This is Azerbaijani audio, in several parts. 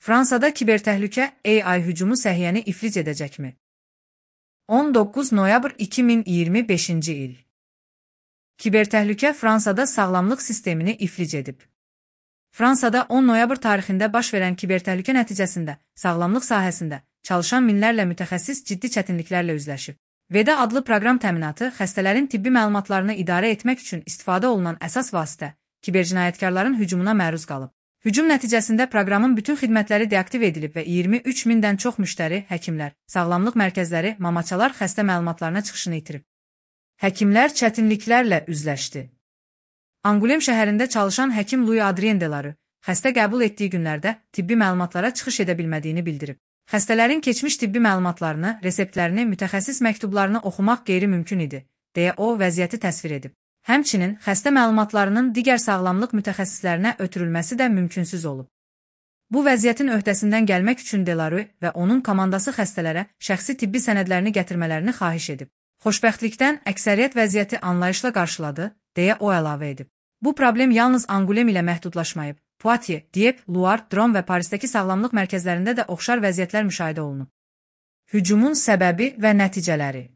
Fransada kibertəhlükə AI hücumu səhiyyəni iflic edəcəkmi? 19 noyabr 2025-ci il. Kibertəhlükə Fransada sağlamlıq sistemini iflic edib. Fransada 10 noyabr tarixində baş verən kibertəhlükə nəticəsində sağlamlıq sahəsində çalışan minlərlə mütəxəssis ciddi çətinliklərlə üzləşib. VEDA adlı proqram təminatı xəstələrin tibbi məlumatlarını idarə etmək üçün istifadə olunan əsas vasitə kibercinayətkarların hücumuna məruz qalıb. Hücum nəticəsində proqramın bütün xidmətləri deaktiv edilib və 23 mindən çox müştəri, həkimlər, sağlamlıq mərkəzləri, mamaçalar xəstə məlumatlarına çıxışını itirib. Həkimlər çətinliklərlə üzləşdi. Angulem şəhərində çalışan həkim Louis Adrien Delarue xəstə qəbul etdiyi günlərdə tibbi məlumatlara çıxış edə bilmədiyini bildirib. Xəstələrin keçmiş tibbi məlumatlarını, reseptlərini, mütəxəssis məktublarını oxumaq qeyri-mümkün idi, deyə o vəziyyəti təsvir edib. Həmçinin xəstə məlumatlarının digər sağlamlıq mütəxəssislərinə ötürülməsi də mümkünsüz olub. Bu vəziyyətin öhdəsindən gəlmək üçün Delarue və onun komandası xəstələrə şəxsi tibbi sənədlərini gətirmələrini xahiş edib. Xoşbəxtlikdən əksəriyyət vəziyyəti anlayışla qarşıladı, deyə o əlavə edib. Bu problem yalnız Angulem ilə məhdudlaşmayıb. Poitiers, Dieppe, Loire, Drôme və Parisdəki sağlamlıq mərkəzlərində də oxşar vəziyyətlər müşahidə olunub. Hücumun səbəbi və nəticələri.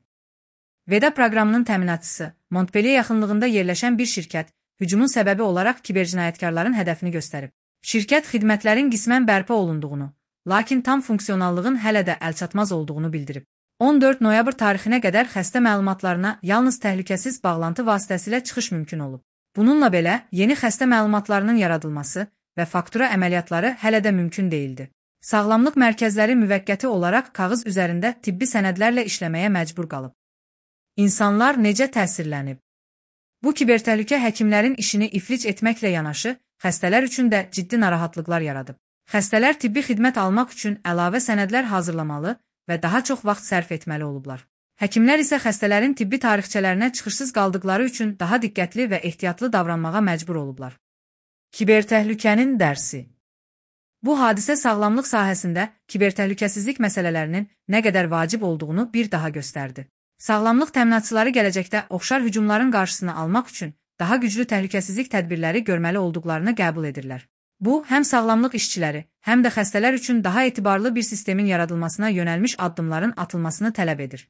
VEDA proqramının təminatçısı Montpellier yaxınlığında yerləşən bir şirkət hücumun səbəbi olaraq kibercinayətkarların hədəfini göstərib. Şirkət xidmətlərin qismən bərpa olunduğunu, lakin tam funksionallığın hələ də əlçatmaz olduğunu bildirib. 14 noyabr tarixinə qədər xəstə məlumatlarına yalnız təhlükəsiz bağlantı vasitəsilə çıxış mümkün olub. Bununla belə, yeni xəstə məlumatlarının yaradılması və faktura əməliyyatları hələ də mümkün deyildi. Sağlamlıq mərkəzləri müvəqqəti olaraq kağız üzərində tibbi sənədlərlə işləməyə məcbur qalıb. İnsanlar necə təsirlənib? Bu kibertəhlükə həkimlərin işini iflic etməklə yanaşı, xəstələr üçün də ciddi narahatlıqlar yaradıb. Xəstələr tibbi xidmət almaq üçün əlavə sənədlər hazırlamalı və daha çox vaxt sərf etməli olublar. Həkimlər isə xəstələrin tibbi tarixçələrinə çıxışsız qaldıqları üçün daha diqqətli və ehtiyatlı davranmağa məcbur olublar. Kibertəhlükənin dərsi. Bu hadisə sağlamlıq sahəsində kibertəhlükəsizlik məsələlərinin nə qədər vacib olduğunu bir daha göstərdi. Sağlamlıq təminatçıları gələcəkdə oxşar hücumların qarşısını almaq üçün daha güclü təhlükəsizlik tədbirləri görməli olduqlarını qəbul edirlər. Bu, həm sağlamlıq işçiləri, həm də xəstələr üçün daha etibarlı bir sistemin yaradılmasına yönəlmiş addımların atılmasını tələb edir.